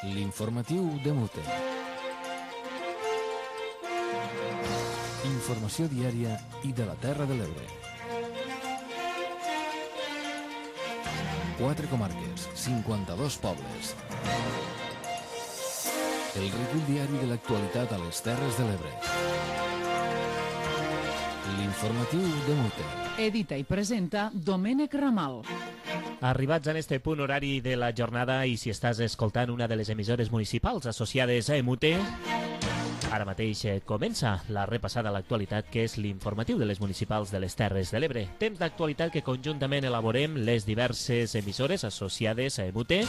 L'informatiu de Mute. Informació diària i de la Terra de l'Ebre. 4 comarques, 52 pobles. El recull diari de l'actualitat a les Terres de l'Ebre. L'informatiu de Mute. Edita i presenta Domènec Ramal. Arribats en este punt horari de la jornada i si estàs escoltant una de les emissores municipals associades a Mute, ara mateix comença la repassada a l'actualitat que és l'informatiu de les municipals de les Terres de l'Ebre. Temps d'actualitat que conjuntament elaborem les diverses emissores associades a Mute.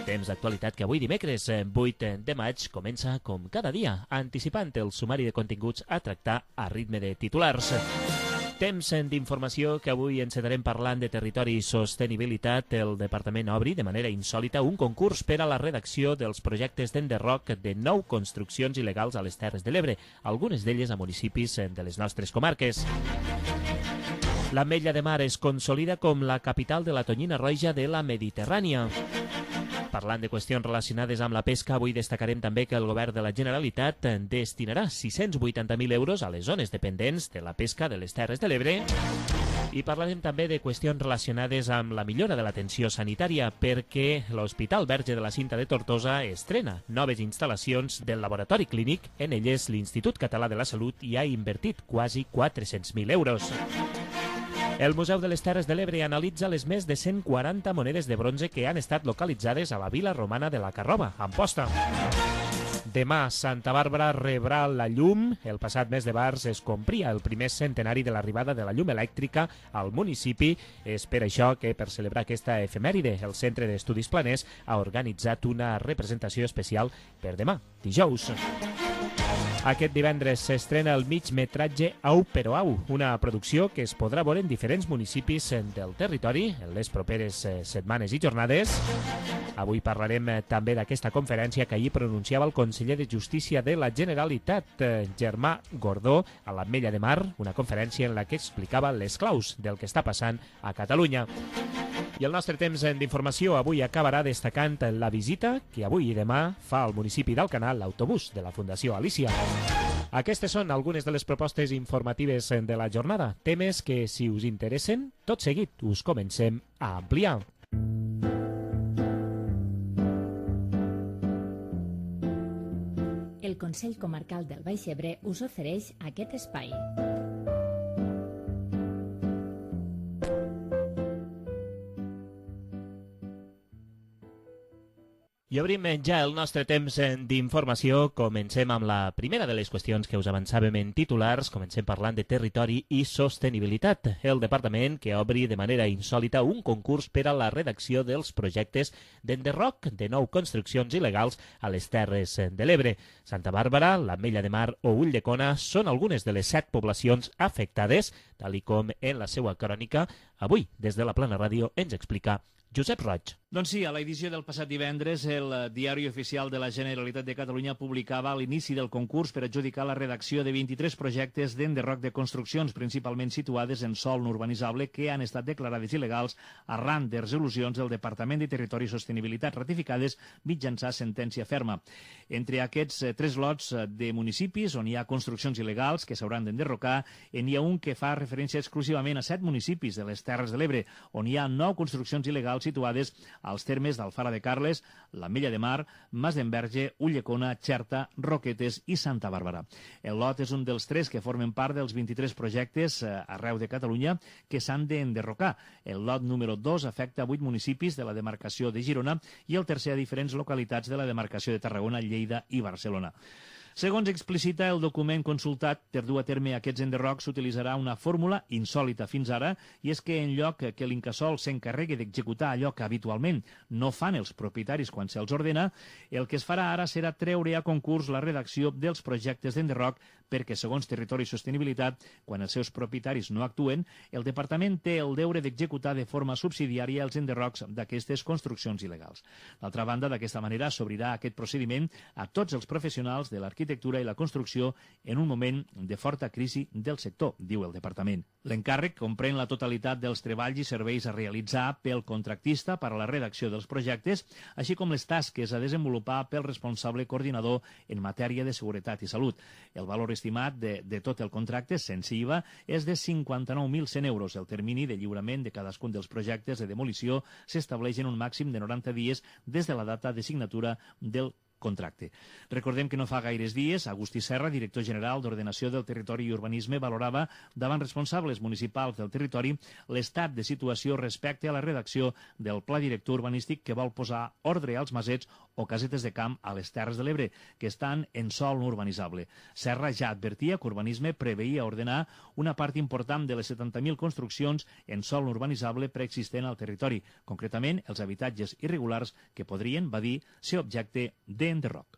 Temps d'actualitat que avui dimecres 8 de maig comença com cada dia, anticipant el sumari de continguts a tractar a ritme de titulars. Temps d'informació que avui encetarem parlant de territori i sostenibilitat. El Departament obri de manera insòlita un concurs per a la redacció dels projectes d'enderroc de 9 construccions il·legals a les Terres de l'Ebre, algunes d'elles a municipis de les nostres comarques. L'Ametlla de Mar es consolida com la capital de la tonyina roja de la Mediterrània. Parlant de qüestions relacionades amb la pesca, avui destacarem també que el govern de la Generalitat destinarà 680.000 euros a les zones dependents de la pesca de les Terres de l'Ebre. I parlarem també de qüestions relacionades amb la millora de l'atenció sanitària perquè l'Hospital Verge de la Cinta de Tortosa estrena noves instal·lacions del laboratori clínic. En elles, l'Institut Català de la Salut hi ha invertit quasi 400.000 euros. El Museu de les Terres de l'Ebre analitza les més de 140 monedes de bronze que han estat localitzades a la vila romana de la Carrova, a Amposta. Demà, Santa Bàrbara rebrà la llum. El passat mes de març es complia el primer centenari de l'arribada de la llum elèctrica al municipi. És per això que, per celebrar aquesta efemèride, el Centre d'Estudis Planers ha organitzat una representació especial per demà, dijous. Aquest divendres s'estrena el migmetratge Au però au, una producció que es podrà veure en diferents municipis del territori en les properes setmanes i jornades. Avui parlarem també d'aquesta conferència que ahir pronunciava el conseller de Justícia de la Generalitat, Germà Gordó, a l'Ametlla de Mar, una conferència en la que explicava les claus del que està passant a Catalunya. I el nostre temps d'informació avui acabarà destacant la visita que avui i demà fa al municipi d'Alcanar l'autobús de la Fundació Alícia. Aquestes són algunes de les propostes informatives de la jornada, temes que, si us interessen, tot seguit us comencem a ampliar. El Consell Comarcal del Baix Ebre us ofereix aquest espai. I obrim ja el nostre temps d'informació. Comencem amb la primera de les qüestions que us avançàvem en titulars. Comencem parlant de territori i sostenibilitat. El departament que obri de manera insòlita un concurs per a la redacció dels projectes d'enderroc de 9 construccions il·legals a les Terres de l'Ebre. Santa Bàrbara, l'Ametlla de Mar o Ulldecona són algunes de les 7 poblacions afectades, tal com en la seva crònica avui des de la Plana Ràdio ens explica Josep Roig. Doncs sí, a l'edició del passat divendres, el Diari Oficial de la Generalitat de Catalunya publicava l'inici del concurs per adjudicar la redacció de 23 projectes d'enderroc de construccions, principalment situades en sòl no urbanitzable, que han estat declarades il·legals arran de resolucions del Departament de Territori i Sostenibilitat ratificades mitjançant sentència ferma. Entre aquests 3 lots de municipis on hi ha construccions il·legals que s'hauran d'enderrocar, n'hi ha un que fa referència exclusivament a 7 municipis de les Terres de l'Ebre, on hi ha 9 construccions il·legals situades als termes d'Alfara de Carles, l'Ametlla de Mar, Mas d'Enverge, Ulldecona, Xerta, Roquetes i Santa Bàrbara. El lot és un dels 3 que formen part dels 23 projectes arreu de Catalunya que s'han d'enderrocar. El lot número 2 afecta 8 municipis de la demarcació de Girona i el tercer a diferents localitats de la demarcació de Tarragona, Lleida i Barcelona. Segons explicita el document consultat, per dur a terme aquests enderrocs s'utilitzarà una fórmula insòlita fins ara, i és que en lloc que l'Incasòl s'encarregui d'executar allò que habitualment no fan els propietaris quan se'ls ordena, el que es farà ara serà treure a concurs la redacció dels projectes d'enderroc perquè, segons Territori i Sostenibilitat, quan els seus propietaris no actuen, el Departament té el deure d'executar de forma subsidiària els enderrocs d'aquestes construccions il·legals. D'altra banda, d'aquesta manera s'obrirà aquest procediment a tots els professionals de l'arquitectura l'arquitectura i la construcció en un moment de forta crisi del sector, diu el departament. L'encàrrec comprèn la totalitat dels treballs i serveis a realitzar pel contractista per a la redacció dels projectes, així com les tasques a desenvolupar pel responsable coordinador en matèria de seguretat i salut. El valor estimat de tot el contracte, sense IVA, és de 59.100 euros. El termini de lliurament de cadascun dels projectes de demolició s'estableix en un màxim de 90 dies des de la data de signatura del contracte. Recordem que no fa gaires dies, Agustí Serra, director general d'Ordenació del Territori i Urbanisme, valorava davant responsables municipals del territori l'estat de situació respecte a la redacció del Pla Director Urbanístic que vol posar ordre als masets o casetes de camp a les Terres de l'Ebre, que estan en sòl no urbanitzable. Serra ja advertia que Urbanisme preveia ordenar una part important de les 70.000 construccions en sòl no urbanitzable preexistent al territori, concretament els habitatges irregulars que podrien, va dir, ser objecte d'enderroc.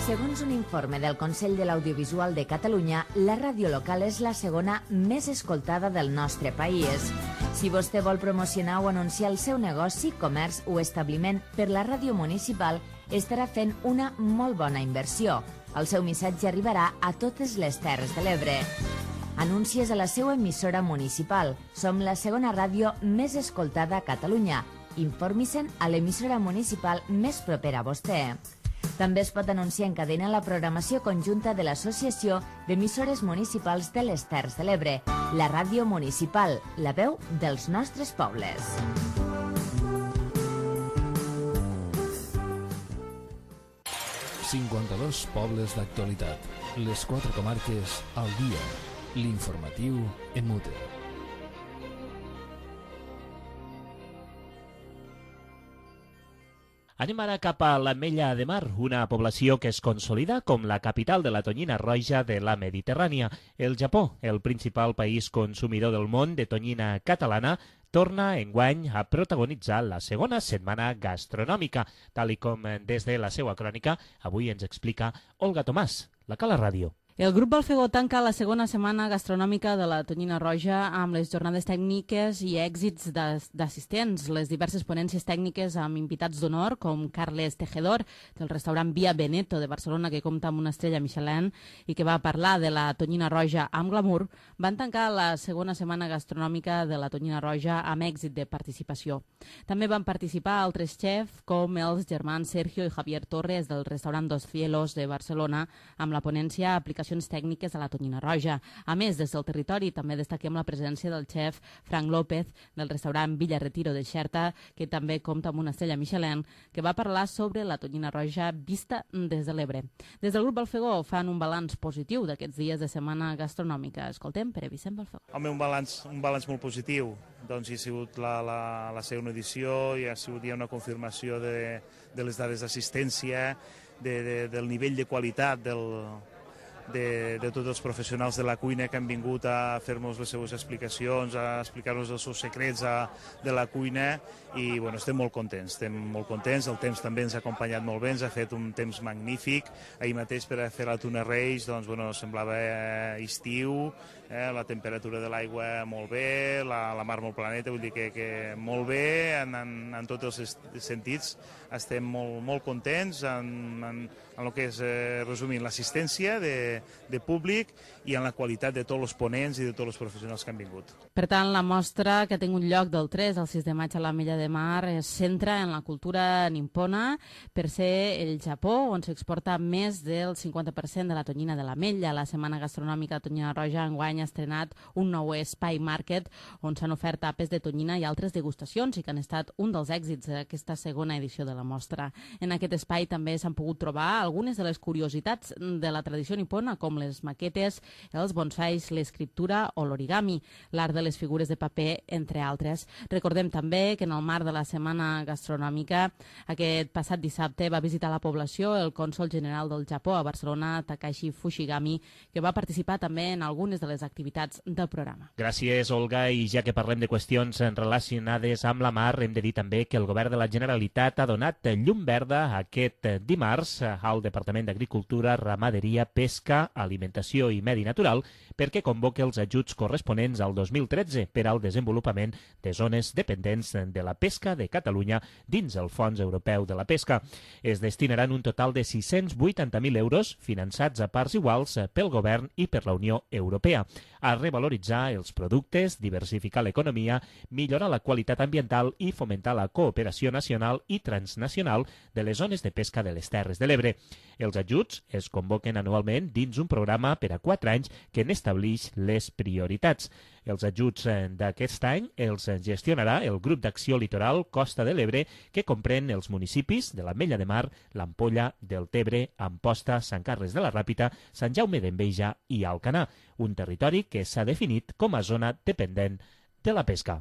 Segons un informe del Consell de l'Audiovisual de Catalunya, la ràdio local és la segona més escoltada del nostre país. Si vostè vol promocionar o anunciar el seu negoci, comerç o establiment per la ràdio municipal, estarà fent una molt bona inversió. El seu missatge arribarà a totes les Terres de l'Ebre. Anuncies a la seva emissora municipal. Som la segona ràdio més escoltada a Catalunya. Informi-se'n a l'emissora municipal més propera a vostè. També es pot anunciar en cadena la programació conjunta de l'Associació d'Emissores Municipals de les Terres de l'Ebre, la ràdio municipal, la veu dels nostres pobles. «52 pobles d'actualitat. Les 4 comarques al dia. L'informatiu en Mute». Anem ara cap a l'Ametlla de Mar, una població que es consolida com la capital de la tonyina roja de la Mediterrània. El Japó, el principal país consumidor del món de tonyina catalana, torna enguany a protagonitzar la segona setmana gastronòmica, tal i com des de la seva crònica avui ens explica Olga Tomàs, la Cala Ràdio. El grup Balfegó tanca la segona setmana gastronòmica de la tonyina roja amb les jornades tècniques i èxits d'assistents. Les diverses ponències tècniques amb invitats d'honor, com Carles Tejedor, del restaurant Via Veneto de Barcelona, que compta amb una estrella Michelin i que va parlar de la tonyina roja amb glamour, van tancar la segona setmana gastronòmica de la tonyina roja amb èxit de participació. També van participar altres xefs, com els germans Sergio i Javier Torres del restaurant Dos Cielos de Barcelona, amb la ponència Aplicació tècniques a la tonyina roja. A més, des del territori també destaquem la presència del xef Frank López del restaurant Villa Retiro de Xerta, que també compta amb una estrella Michelin, que va parlar sobre la tonyina roja vista des de l'Ebre. Des del grup Balfegó fan un balanç positiu d'aquests dies de setmana gastronòmica. Escoltem Pere Vicent Balfegó. Home, un balanç molt positiu. Doncs hi ha sigut la segona edició, hi ha sigut ja una confirmació de les dades d'assistència, del nivell de qualitat de tots els professionals de la cuina que han vingut a fer-nos les seues explicacions, a explicar-nos els seus secrets de la cuina i bueno, estem molt contents, el temps també ens ha acompanyat molt bé, ens ha fet un temps magnífic. Ahir mateix per a fer la Tuna Reis doncs, bueno, semblava estiu, la temperatura de l'aigua molt bé, la mar molt planeta, vull dir que molt bé en tots els sentits. Estem molt contents en el que és, resumint, l'assistència de públic i en la qualitat de tots els ponents i de tots els professionals que han vingut. Per tant, la mostra que ha tingut lloc del 3 al 6 de maig a l'Ametlla de Mar es centra en la cultura nipona per ser el Japó, on s'exporta més del 50% de la tonyina de l'Ametlla. La Setmana Gastronòmica de Tonyina Roja enguany ha estrenat un nou espai market on s'han ofert tapes de tonyina i altres degustacions i que han estat un dels èxits d'aquesta segona edició de la mostra. En aquest espai també s'han pogut trobar algunes de les curiositats de la tradició nipona, com les maquetes, els bonsais, l'escriptura o l'origami, l'art de les figures de paper, entre altres. Recordem també que en el marc de la Setmana Gastronòmica, aquest passat dissabte va visitar la població el cònsol general del Japó a Barcelona, Takashi Fushigami, que va participar també en algunes de les activitats del programa. Gràcies, Olga. I ja que parlem de qüestions relacionades amb la mar, hem de dir també que el govern de la Generalitat ha donat llum verda aquest dimarts al al Departament d'Agricultura, Ramaderia, Pesca, Alimentació i Medi Natural perquè convoqui els ajuts corresponents al 2013 per al desenvolupament de zones dependents de la pesca de Catalunya dins el Fons Europeu de la Pesca. Es destinaran un total de 680.000 euros finançats a parts iguals pel Govern i per la Unió Europea a revaloritzar els productes, diversificar l'economia, millorar la qualitat ambiental i fomentar la cooperació nacional i transnacional de les zones de pesca de les Terres de l'Ebre. Els ajuts es convoquen anualment dins un programa per a 4 anys que n'estableix les prioritats. Els ajuts d'aquest any els gestionarà el Grup d'Acció Litoral Costa de l'Ebre, que comprèn els municipis de l'Ametlla de Mar, l'Ampolla, del Tebre, Amposta, Sant Carles de la Ràpita, Sant Jaume d'Enveja i Alcanar, un territori que s'ha definit com a zona dependent de la pesca.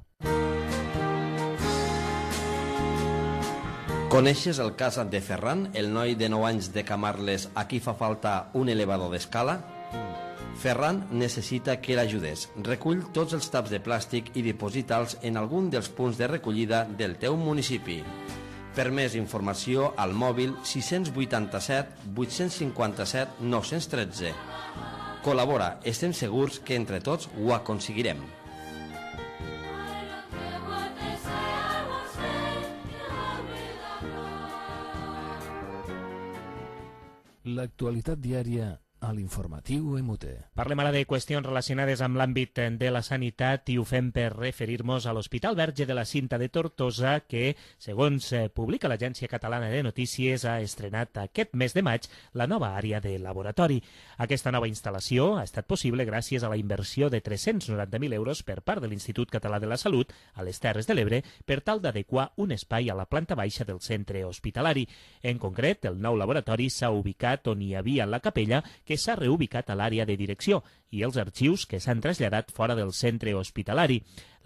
Coneixes el cas de Ferran, el noi de 9 anys de Camarles a qui fa falta un elevador d'escala? Ferran necessita que l'ajudes. Recull tots els taps de plàstic i diposita'ls en algun dels punts de recollida del teu municipi. Per més informació, al mòbil 687 857 913. Col·labora, estem segurs que entre tots ho aconseguirem. L'actualitat diària a l'informatiu MUT. Parlem ara de qüestions relacionades amb l'àmbit de la sanitat i ho fem per referir-nos a l'Hospital Verge de la Cinta de Tortosa que, segons publica l'Agència Catalana de Notícies, ha estrenat aquest mes de maig la nova àrea de laboratori. Aquesta nova instal·lació ha estat possible gràcies a la inversió de 390.000 euros per part de l'Institut Català de la Salut a les Terres de l'Ebre per tal d'adequar un espai a la planta baixa del centre hospitalari. En concret, el nou laboratori s'ha ubicat on hi havia la capella, que s'ha reubicat a l'àrea de direcció, i els arxius que s'han traslladat fora del centre hospitalari.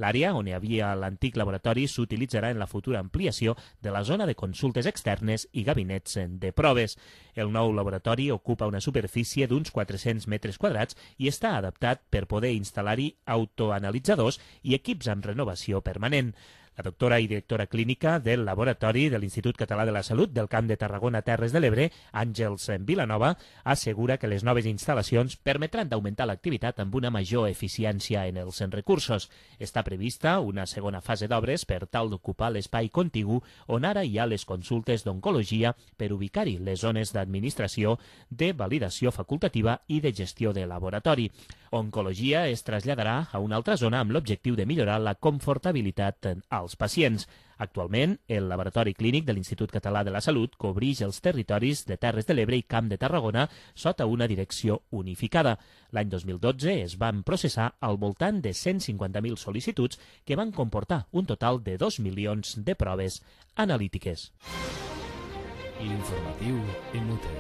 L'àrea on hi havia l'antic laboratori s'utilitzarà en la futura ampliació de la zona de consultes externes i gabinets de proves. El nou laboratori ocupa una superfície d'uns 400 metres quadrats i està adaptat per poder instal·lar-hi autoanalitzadors i equips amb renovació permanent. La doctora i directora clínica del Laboratori de l'Institut Català de la Salut del Camp de Tarragona Terres de l'Ebre, Àngels Vilanova, assegura que les noves instal·lacions permetran d'augmentar l'activitat amb una major eficiència en els recursos. Està prevista una segona fase d'obres per tal d'ocupar l'espai contigu on ara hi ha les consultes d'oncologia per ubicar-hi les zones d'administració, de validació facultativa i de gestió de laboratori. Oncologia es traslladarà a una altra zona amb l'objectiu de millorar la confortabilitat als pacients. Actualment, el Laboratori Clínic de l'Institut Català de la Salut cobreix els territoris de Terres de l'Ebre i Camp de Tarragona sota una direcció unificada. L'any 2012 es van processar al voltant de 150.000 sol·licituds que van comportar un total de 2 milions de proves analítiques. L'informatiu MUT.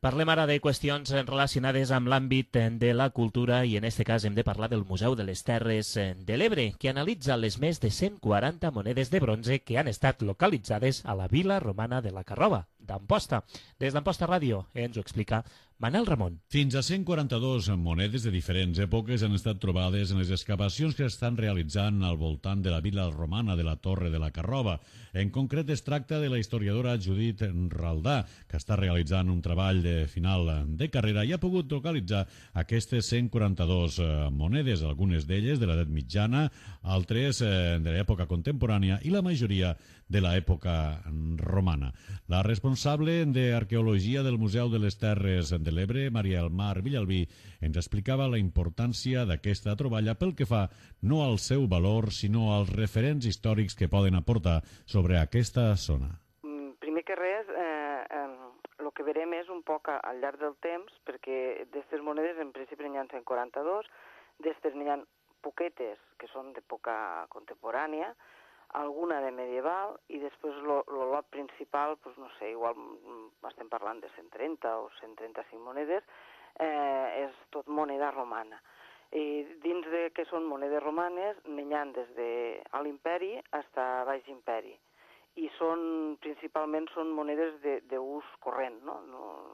Parlem ara de qüestions relacionades amb l'àmbit de la cultura i en aquest cas hem de parlar del Museu de les Terres de l'Ebre, que analitza les més de 140 monedes de bronze que han estat localitzades a la vila romana de la Carrova, d'Amposta. Des d'Amposta Ràdio ens ho explica Manel Ramon. Fins a 142 monedes de diferents èpoques han estat trobades en les excavacions que estan realitzant al voltant de la vila romana de la Torre de la Carrova. En concret es tracta de la historiadora Judit Raldà, que està realitzant un treball de final de carrera i ha pogut localitzar aquestes 142 monedes, algunes d'elles de l'edat mitjana, altres de l'època contemporània i la majoria de l'època romana. La responsable d'Arqueologia del Museu de les Terres de l'Ebre, Maria Elmar Villalbí, ens explicava la importància d'aquesta troballa pel que fa no al seu valor, sinó als referents històrics que poden aportar sobre aquesta zona. Primer que res, el que verem és un poc al llarg del temps, perquè d'aquestes monedes en principi n'hi ha 142, d'aquestes n'hi ha poquetes que són d'època contemporània, alguna de medieval i després el lot principal, doncs no sé, igual estem parlant de 130 o 135 monedes, és tot moneda romana. I dins de que són monedes romanes n'hi ha des de l'imperi fins a baix imperi i principalment són monedes d'ús corrent, no?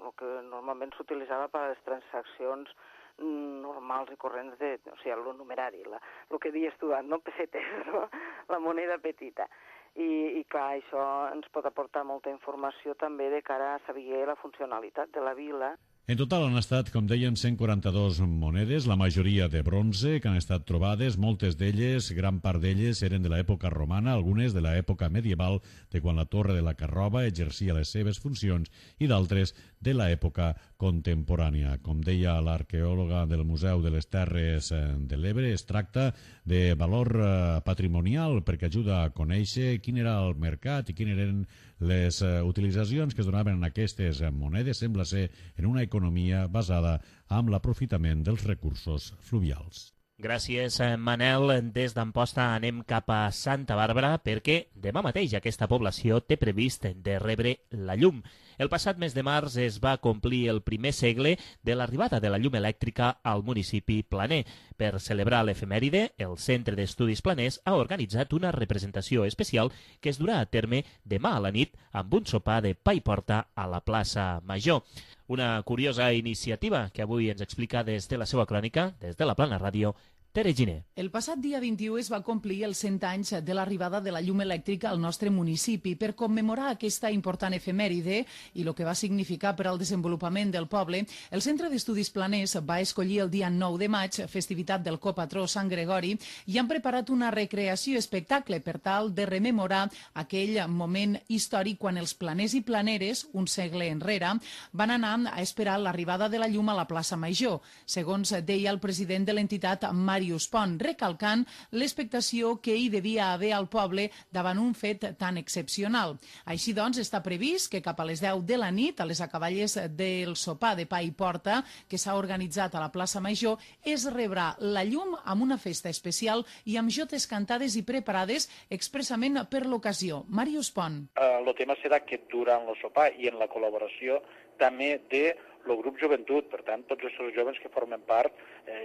El que normalment s'utilitzava per a les transaccions normals i corrents o sigui, el numerari, el que dius tu, no pessetes, no? La moneda petita. i clar, això ens pot aportar molta informació també de cara a saber la funcionalitat de la vila. En total han estat, com dèiem, 142 monedes, la majoria de bronze, que han estat trobades. Moltes d'elles, gran part d'elles, eren de l'època romana, algunes de l'època medieval, de quan la Torre de la Carrova exercia les seves funcions, i d'altres de l'època contemporània. Com deia l'arqueòloga del Museu de les Terres de l'Ebre, es tracta de valor patrimonial perquè ajuda a conèixer quin era el mercat i quines eren les utilitzacions que es donaven en aquestes monedes. Sembla ser en una economia basada en l'aprofitament dels recursos fluvials. Gràcies, Manel. Des d'Amposta anem cap a Santa Bàrbara perquè demà mateix aquesta població té previst de rebre la llum. El passat mes de març es va complir el primer segle de l'arribada de la llum elèctrica al municipi planer. Per celebrar l'efemèride, el Centre d'Estudis Planers ha organitzat una representació especial que es durà a terme demà a la nit amb un sopar de pa i porta a la plaça Major. Una curiosa iniciativa que avui ens explica des de la seva crònica, des de la Plana Ràdio, Tere Giner. El passat dia 21 es va complir els 100 anys de l'arribada de la llum elèctrica al nostre municipi. Per commemorar aquesta important efemèride i el que va significar per al desenvolupament del poble, el Centre d'Estudis Planers va escollir el dia 9 de maig, festivitat del copatró Sant Gregori, i han preparat una recreació espectacle per tal de rememorar aquell moment històric quan els planers i planeres, un segle enrere, van anar a esperar l'arribada de la llum a la plaça Major, segons deia el president de l'entitat, Màrius Pont, recalcant l'expectació que hi devia haver al poble davant un fet tan excepcional. Així doncs, està previst que cap a les 10 de la nit, a les acaballes del sopar de pa i porta que s'ha organitzat a la plaça Major, es rebrà la llum amb una festa especial i amb jotes cantades i preparades expressament per l'ocasió. Màrius Pont. El tema serà que durant el sopar i en la col·laboració també de el grup Joventut, per tant, tots els joves que formen part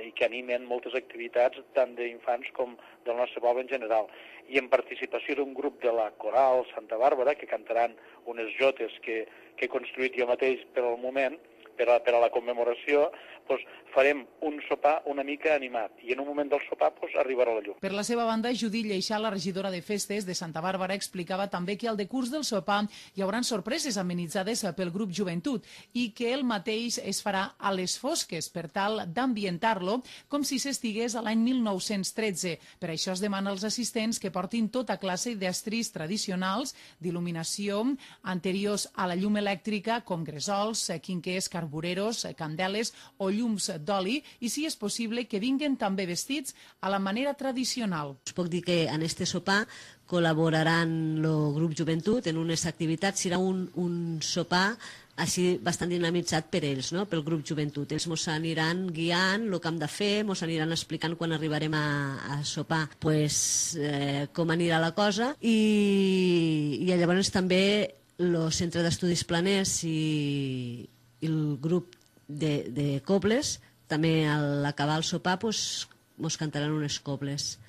i que animen moltes activitats tant d'infants com del nostre poble en general. I en participació d'un grup de la Coral Santa Bàrbara, que cantaran unes jotes que he construït jo mateix per al moment, per a la commemoració, farem un sopar una mica animat i en un moment del sopar arribarà la llum. Per la seva banda, Judit Lleixà, la regidora de festes de Santa Bàrbara, explicava també que al decurs del sopar hi haurà sorpreses amenitzades pel grup Joventut i que el mateix es farà a les fosques per tal d'ambientar-lo com si s'estigués a l'any 1913. Per això es demana als assistents que portin tota classe d'estris tradicionals d'il·luminació anteriors a la llum elèctrica com gresols, quinquers, carbureros, candeles o llums d'oli i, si és possible, que vinguen també vestits a la manera tradicional. Us puc dir que en este sopar col·laboraran el grup Joventut en unes activitats. Serà un sopar així bastant dinamitzat per ells, no? Pel grup Joventut. Ells ens aniran guiant el que hem de fer, ens aniran explicant quan arribarem a sopar com anirà la cosa i llavors també el Centre d'Estudis Planers i el grup de cobles, també a l'acabar el sopar ens cantaran unes cobles.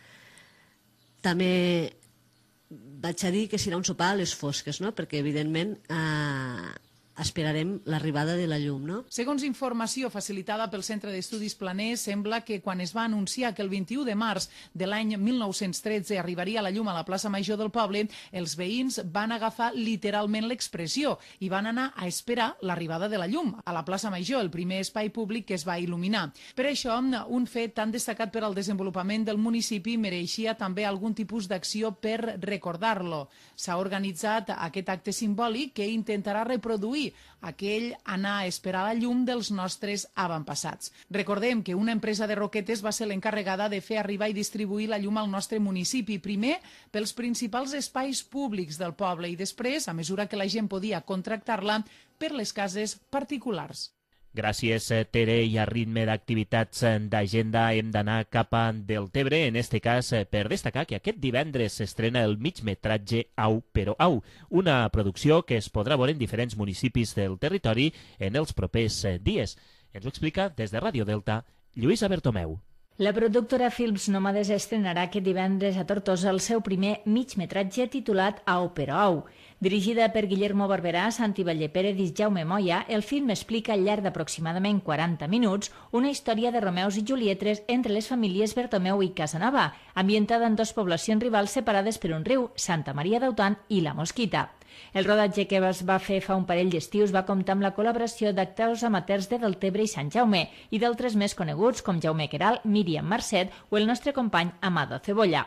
També vaig a dir que serà un sopar a les fosques, no? Perquè evidentment esperarem l'arribada de la llum, no? Segons informació facilitada pel Centre d'Estudis Planers, sembla que quan es va anunciar que el 21 de març de l'any 1913 arribaria la llum a la plaça Major del poble, els veïns van agafar literalment l'expressió i van anar a esperar l'arribada de la llum a la plaça Major, el primer espai públic que es va il·luminar. Per això, un fet tan destacat per al desenvolupament del municipi mereixia també algun tipus d'acció per recordar-lo. S'ha organitzat aquest acte simbòlic que intentarà reproduir aquell anar a esperar la llum dels nostres avantpassats. Recordem que una empresa de roquetes va ser l'encarregada de fer arribar i distribuir la llum al nostre municipi, primer pels principals espais públics del poble i després, a mesura que la gent podia contractar-la, per les cases particulars. Gràcies, Tere, i a ritme d'activitats d'agenda hem d'anar cap a Deltebre, en este cas per destacar que aquest divendres s'estrena el migmetratge Au però Au, una producció que es podrà veure en diferents municipis del territori en els propers dies. Ens ho explica des de Ràdio Delta, Lluïsa Bertomeu. La productora Films Nòmades estrenarà aquest divendres a Tortosa el seu primer migmetratge titulat Au però au. Dirigida per Guillermo Barberà, Santi Vallepérez i Jaume Moya, el film explica al llarg d'aproximadament 40 minuts una història de Romeus i Julietes entre les famílies Bertomeu i Casanova, ambientada en dues poblacions rivals separades per un riu, Santa Maria d'Autan i La Mosquita. El rodatge que es va fer fa un parell d'estius va comptar amb la col·laboració d'actors amateurs de Deltebre i Sant Jaume i d'altres més coneguts com Jaume Queralt, Míriam Marcet o el nostre company Amado Cebolla.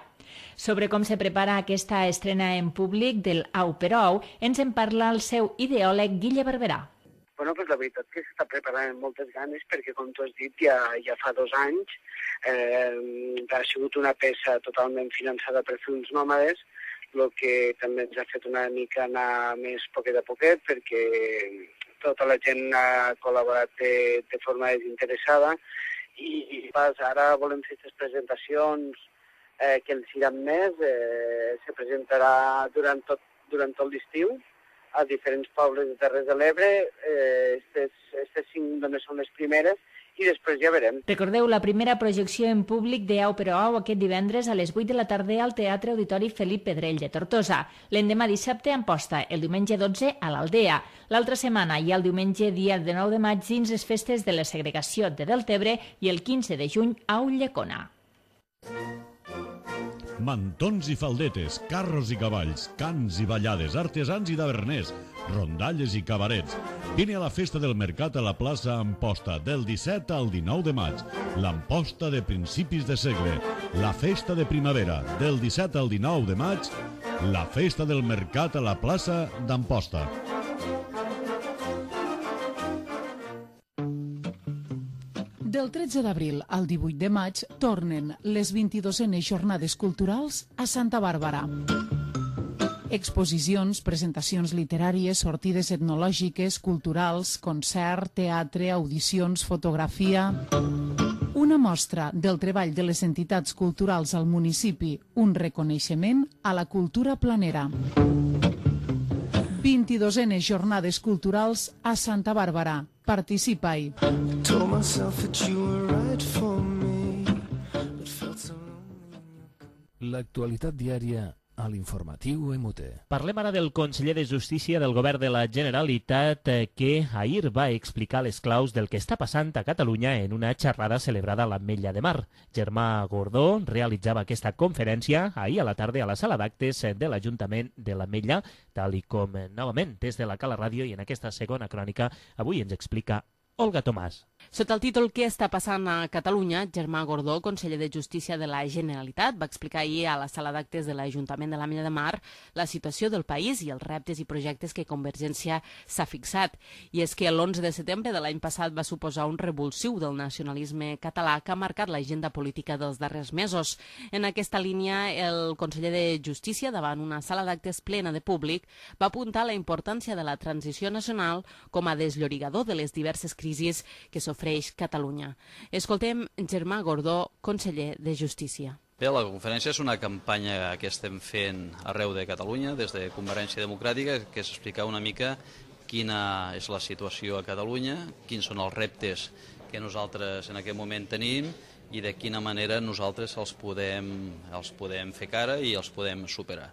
Sobre com se prepara aquesta estrena en públic del Au però au, ens en parla el seu ideòleg Guille Barberà. Bueno, pues la veritat que s'està preparant amb moltes ganes perquè, com tu has dit, ja fa 2 anys ha sigut una peça totalment finançada per Films Nòmades, el que també ens ha fet una mica anar més poquet a poquet perquè tota la gent ha col·laborat de forma desinteressada i ara volem fer aquestes presentacions que ens iran més. Se presentarà durant tot l'estiu a diferents pobles de Terres de l'Ebre. Aquestes 5 només són les primeres i després ja verem. Recordeu la primera projecció en públic de Au però au aquest divendres a les 8 de la tarda al Teatre Auditori Felip Pedrell de Tortosa. L'endemà dissabte a Amposta, el diumenge 12 a l'Aldea. L'altra setmana hi ha el diumenge dia de 9 de maig dins les festes de la segregació de Deltebre i el 15 de juny a Ulldecona. Mantons i faldetes, carros i cavalls, cants i ballades, artesans i taverners, rondalles i cabarets. Vine a la festa del mercat a la plaça Amposta del 17 al 19 de maig. L'Amposta de principis de segle. La festa de primavera del 17 al 19 de maig. La festa del mercat a la plaça d'Amposta. Del 13 d'abril al 18 de maig tornen les 22enes jornades culturals a Santa Bàrbara. Exposicions, presentacions literàries, sortides etnològiques, culturals, concert, teatre, audicions, fotografia... Una mostra del treball de les entitats culturals al municipi, un reconeixement a la cultura planera. 22enes jornades culturals a Santa Bàrbara. Participa-hi. L'actualitat diària a l'informatiu MUT. Parlem ara del conseller de Justícia del Govern de la Generalitat que ahir va explicar les claus del que està passant a Catalunya en una xerrada celebrada a l'Ametlla de Mar. Germà Gordó realitzava aquesta conferència ahir a la tarda a la sala d'actes de l'Ajuntament de l'Ametlla, tal i com novament des de la Cala Ràdio i en aquesta segona crònica avui ens explica Olga Tomàs. Sota el títol Què està passant a Catalunya, Germà Gordó, conseller de Justícia de la Generalitat, va explicar ahir a la sala d'actes de l'Ajuntament de l'Ametlla de Mar la situació del país i els reptes i projectes que Convergència s'ha fixat. I és que l'11 de setembre de l'any passat va suposar un revulsiu del nacionalisme català que ha marcat l'agenda política dels darrers mesos. En aquesta línia, el conseller de Justícia, davant una sala d'actes plena de públic, va apuntar la importància de la transició nacional com a desllorigador de les diverses crisis que s'ofereix Catalunya. Escoltem Germà Gordó, conseller de Justícia. Bé, la conferència és una campanya que estem fent arreu de Catalunya, des de Convergència Democràtica, que és explicar una mica quina és la situació a Catalunya, quins són els reptes que nosaltres en aquest moment tenim i de quina manera nosaltres els podem fer cara i els podem superar.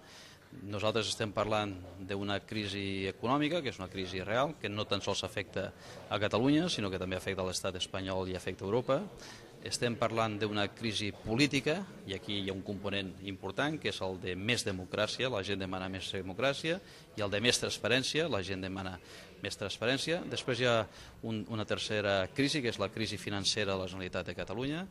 Nosaltres estem parlant d'una crisi econòmica, que és una crisi real, que no tan sols afecta a Catalunya, sinó que també afecta l'Estat espanyol i afecta Europa. Estem parlant d'una crisi política, i aquí hi ha un component important, que és el de més democràcia, la gent demana més democràcia, i el de més transparència, la gent demana més transparència. Després hi ha una tercera crisi, que és la crisi financera de la Generalitat de Catalunya,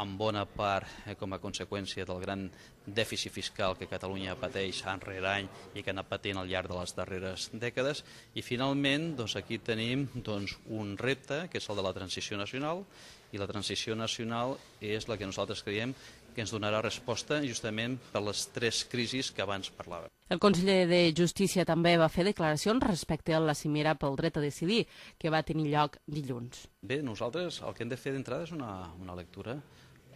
en bona part com a conseqüència del gran dèficit fiscal que Catalunya pateix any rere any i que ha anat patint al llarg de les darreres dècades. I finalment aquí tenim un repte, que és el de la transició nacional, i la transició nacional és la que nosaltres creiem que ens donarà resposta justament per les 3 crisis que abans parlàvem. El conseller de Justícia també va fer declaracions respecte a la cimera pel dret a decidir, que va tenir lloc dilluns. Bé, nosaltres el que hem de fer d'entrada és una lectura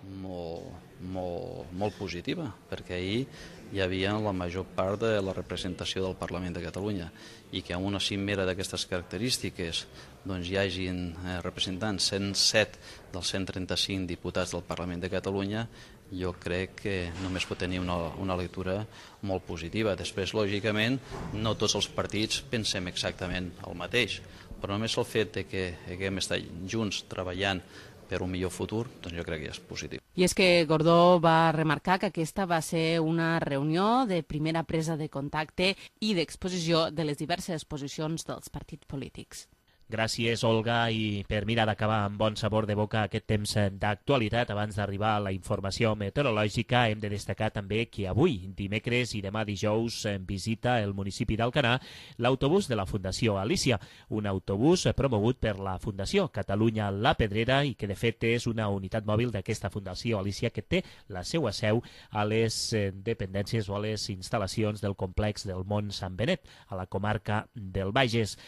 molt positiva, perquè ahir hi havia la major part de la representació del Parlament de Catalunya i que en una cimera d'aquestes característiques doncs hi hagin representants 107 dels 135 diputats del Parlament de Catalunya, jo crec que només pot tenir una lectura molt positiva. Després, lògicament, no tots els partits pensem exactament el mateix, però només el fet de que haguem estat junts treballant per un millor futur, doncs jo crec que ja és positiu. I és que Gordó va remarcar que aquesta va ser una reunió de primera presa de contacte i d'exposició de les diverses posicions dels partits polítics. Gràcies, Olga, i per mirar d'acabar amb bon sabor de boca aquest temps d'actualitat, abans d'arribar a la informació meteorològica, hem de destacar també que avui, dimecres i demà dijous, visita el municipi d'Alcanar l'autobús de la Fundació Alícia, un autobús promogut per la Fundació Catalunya La Pedrera i que de fet és una unitat mòbil d'aquesta Fundació Alícia que té la seva seu a les dependències o a les instal·lacions del complex del Mont Sant Benet, a la comarca del Bages.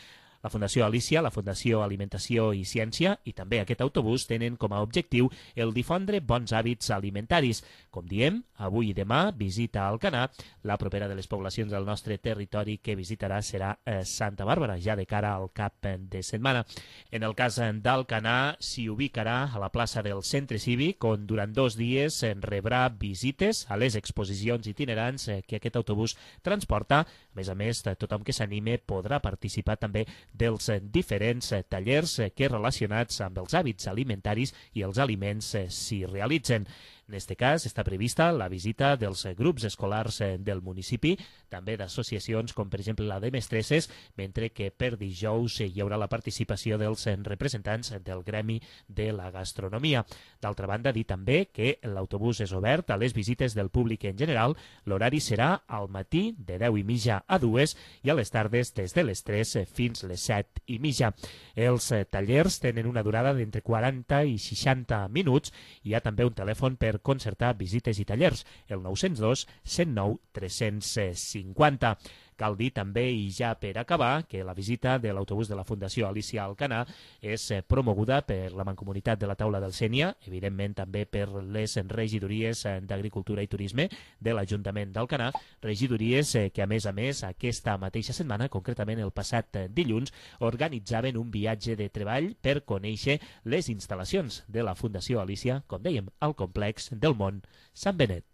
La Fundació Alícia, la Fundació Alimentació i Ciència i també aquest autobús tenen com a objectiu el difondre bons hàbits alimentaris. Com diem, avui i demà visita a Alcanar. La propera de les poblacions del nostre territori que visitarà serà Santa Bàrbara, ja de cara al cap de setmana. En el cas d'Alcanar s'hi ubicarà a la plaça del Centre Cívic, on durant 2 dies rebrà visites a les exposicions itinerants que aquest autobús transporta. A més, tothom que s'anime podrà participar també dels diferents tallers que relacionats amb els hàbits alimentaris i els aliments s'hi realitzen. En aquest cas està prevista la visita dels grups escolars del municipi, també d'associacions com per exemple la de mestresses, mentre que per dijous hi haurà la participació dels representants del gremi de la gastronomia. D'altra banda, dir també que l'autobús és obert a les visites del públic en general. L'horari serà al matí de 10:30 a 2 i a les tardes des de les 3 fins les 7:30. Els tallers tenen una durada d'entre 40 i 60 minuts. Hi ha també un telèfon per concertar visites i tallers, el 902 109 350. Cal dir també, i ja per acabar, que la visita de l'autobús de la Fundació Alícia a Alcanar és promoguda per la Mancomunitat de la Taula del Sénia, evidentment també per les regidories d'Agricultura i Turisme de l'Ajuntament d'Alcanar, regidories que a més aquesta mateixa setmana, concretament el passat dilluns, organitzaven un viatge de treball per conèixer les instal·lacions de la Fundació Alícia, com dèiem, al complex del Mont Sant Benet.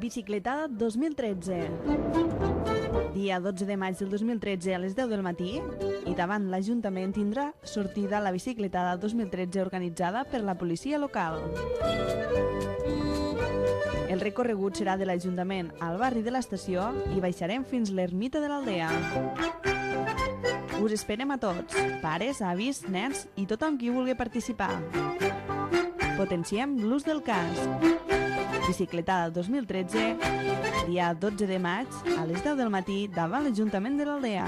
Bicicletada 2013. Dia 12 de maig del 2013 a les 10 del matí i davant l'Ajuntament tindrà sortida la bicicletada 2013 organitzada per la policia local. El recorregut serà de l'Ajuntament al barri de l'Estació i baixarem fins l'ermita de l'Aldea. Us esperem a tots, pares, avis, nens i tothom qui vulgui participar. Potenciem l'ús del casc. Bicicletada 2013, dia 12 de maig, a les 10 del matí, davant l'Ajuntament de l'Aldea.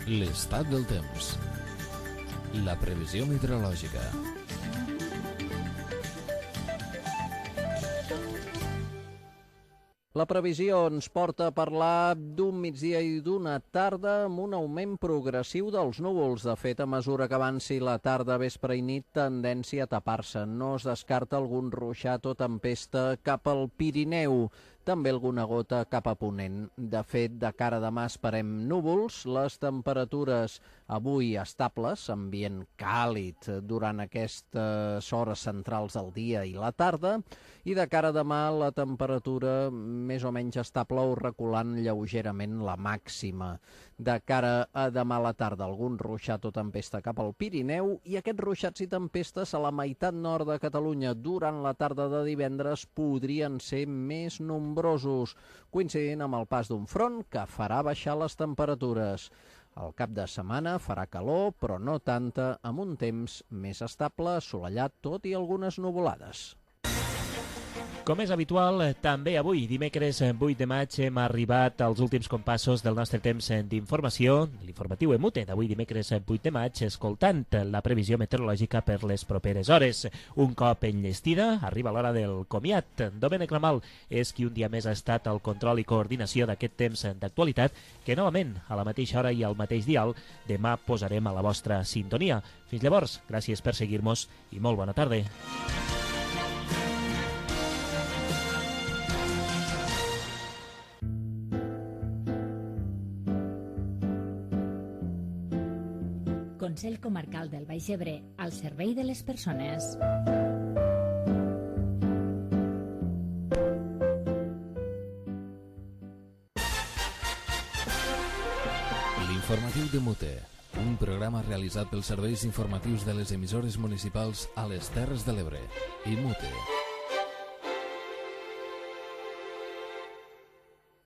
L'estat del temps. La previsió meteorològica. La previsió ens porta a parlar d'un migdia i d'una tarda amb un augment progressiu dels núvols. De fet, a mesura que avanci la tarda, vespre i nit, tendència a tapar-se. No es descarta algun ruixat o tempesta cap al Pirineu. També alguna gota cap a ponent. De fet, de cara a demà esperem núvols, les temperatures avui estables, ambient càlid durant aquestes hores centrals del dia i la tarda, i de cara a demà la temperatura més o menys estable o reculant lleugerament la màxima. De cara a demà a la tarda, algun ruixat o tempesta cap al Pirineu, i aquests ruixats i tempestes a la meitat nord de Catalunya durant la tarda de divendres podrien ser més nombrosos, coincidint amb el pas d'un front que farà baixar les temperatures. Al cap de setmana farà calor, però no tanta, amb un temps més estable, assolellat, tot i algunes nuvolades. Com és habitual, també avui, dimecres 8 de maig, hem arribat als últims compassos del nostre temps d'informació, l'informatiu EMUTE d'avui dimecres 8 de maig, escoltant la previsió meteorològica per les properes hores. Un cop enllestida, arriba l'hora del comiat. Domènec Ramal és qui un dia més ha estat al control i coordinació d'aquest temps d'actualitat, que novament, a la mateixa hora i al mateix dial, demà posarem a la vostra sintonia. Fins llavors, gràcies per seguir-nos i molt bona tarda. Consell Comarcal del Baix Ebre, al servei de les persones. L'informatiu d'EMUTE, un programa realitzat pels serveis informatius de les emissores municipals a les Terres de l'Ebre. EMUTE.